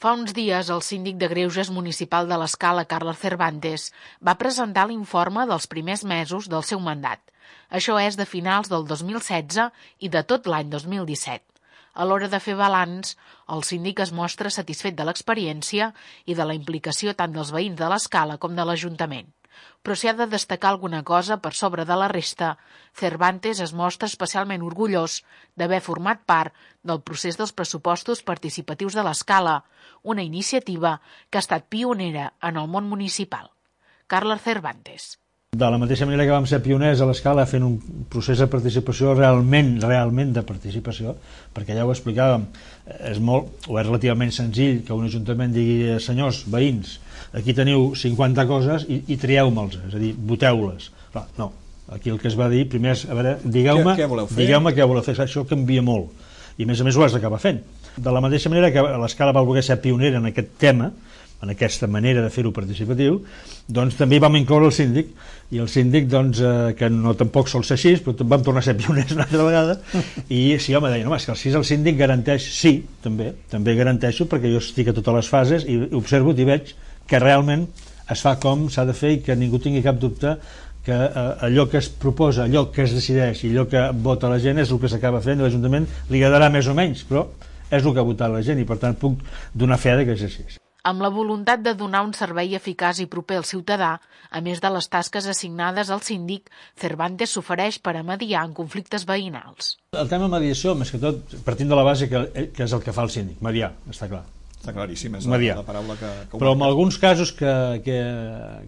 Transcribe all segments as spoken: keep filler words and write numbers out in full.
Fa uns dies, el síndic de Greuges municipal de l'Escala, Carles Cervantes, va presentar l'informe dels primers mesos del seu mandat. Això és de finals del dos mil setze i de tot l'any dos mil disset. A l'hora de fer balanç, el síndic es mostra satisfet de l'experiència i de la implicació tant dels veïns de l'Escala com de l'Ajuntament. Però si ha de destacar alguna cosa per sobre de la resta, Cervantes es mostra especialment orgullós d'haver format part del procés dels pressupostos participatius de l'Escala, una iniciativa que ha estat pionera en el món municipal. Carles Cervantes. De la mateixa manera que vam ser pioners a l'Escala fent un procés de participació realment, realment de participació, perquè ja ho explicàvem, és molt, o és relativament senzill que un ajuntament digui, senyors, veïns, aquí teniu cinquanta coses i, i trieu-me'ls, és a dir, voteu-les. No, aquí el que es va dir, primer és, a veure, digueu-me què, què digueu-me què voleu fer, això canvia molt, i a més a més ho has d'acabar fent. De la mateixa manera que l'Escala va voler ser pionera en aquest tema, en aquesta manera de fer-ho participatiu, doncs també hi vam incloure el síndic, i el síndic, doncs, eh, que no tampoc sol ser així, però vam tornar a ser pioners una altra vegada, i sí, home, deia, no, és que si el síndic garanteix, sí, també, també garanteixo, perquè jo estic a totes les fases i observo i veig que realment es fa com s'ha de fer i que ningú tingui cap dubte que eh, allò que es proposa, allò que es decideix i allò que vota la gent és el que s'acaba fent, i l'Ajuntament li agradarà més o menys, però és el que ha votat la gent i per tant puc donar fe de que és així. Amb la voluntat de donar un servei eficaç i proper al ciutadà, a més de les tasques assignades al síndic, Cervantes s'ofereix per a mediar en conflictes veïnals. El tema mediació, més que tot, partint de la base que, que és el que fa el síndic, mediar, està clar. Està claríssim, és la, la paraula que... que Però en alguns casos que, que,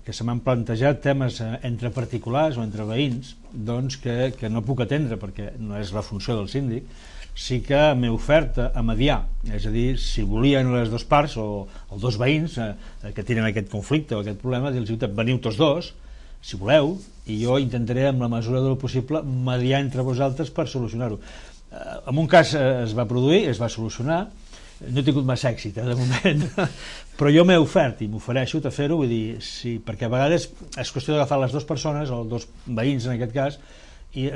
que se m'han plantejat temes entre particulars o entre veïns, doncs que, que no puc atendre perquè no és la funció del síndic, sí que m'he ofert a mediar, és a dir, si volien les dues parts o els dos veïns eh, que tenen aquest conflicte o aquest problema, dir-los, veniu tots dos, si voleu, i jo intentaré, amb la mesura del possible, mediar entre vosaltres per solucionar-ho. Eh, en un cas eh, es va produir, es va solucionar, no he tingut massa èxit, eh, de moment, però jo m'he ofert i m'ofereixo a fer-ho, vull dir, sí, perquè a vegades és qüestió d'agafar les dues persones, o els dos veïns en aquest cas, i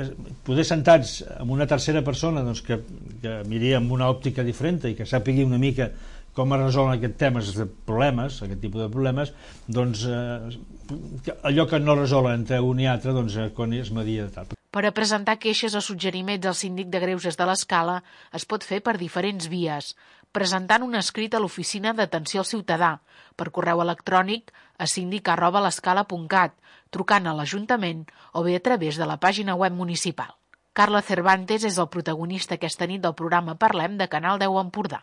poder sentats amb una tercera persona doncs, que, que miri amb una òptica diferent i que sàpigui una mica com es resolen aquests temes de problemes, aquest tipus de problemes, doncs eh, allò que no resolen entre un i altre, doncs quan es media de tal. Per a presentar queixes o suggeriments al síndic de Greuges de l'Escala es pot fer per diferents vies, presentant un escrit a l'oficina d'atenció al ciutadà, per correu electrònic a síndic arroba l'escala punt cat, trucant a l'Ajuntament o bé a través de la pàgina web municipal. Carles Cervantes és el protagonista aquesta nit del programa Parlem de Canal deu Empordà.